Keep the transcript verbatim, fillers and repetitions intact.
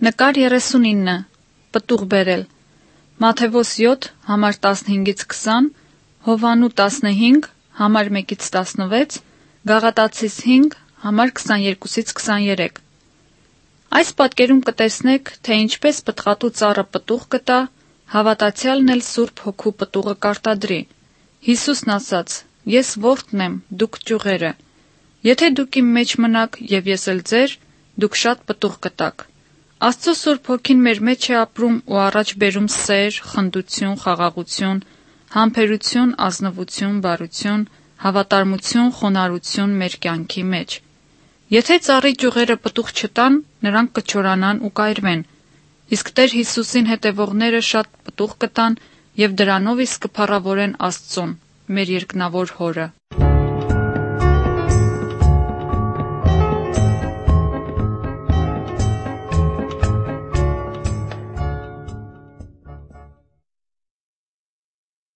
Նկար երեսունինը։ Պտուղ բերել։ Մատթեոս յոթ, համար տասնհինգից քսան, Յովհաննու տասնհինգ, համար մէկից տասնվեց, Գաղատացիս հինգ, համար քսաներկուսից քսաներեք։ Այս պատկերում կը տեսնէք, թէ ինչպէս պտղատու ծառը պտուղ կը տայ, հաւատացեալն էլ Սուրբ Հոգու պտուղը կ'արտադրի։ Յիսուսն ասաց. «Ես որդն եմ, դուք ճիւղերը։ Եթէ դուք իմ մէջ մնաք եւ ես էլ ձեր, դուք շատ պտուղ կը տաք»։ Աստծոյ Սուրբ Հոգին մեր մէջ է ապրում ու առաջ բերում սէր, խնդություն, խաղաղություն, համբերություն, ազնուություն, բարություն, հաւատարմություն, խոնարհություն մեր կեանքի մէջ։ Եթէ ծառի ճիւղերը պտուղ չտան, նրանք կը չորանան ու կ'այրուեն։ Իսկ Տէր Յիսուսին հետեւողները շատ պտուղ կը տան եւ դրանով իսկ կը փառաւորեն Աստծուն, մեր երկնաւոր Հօրը։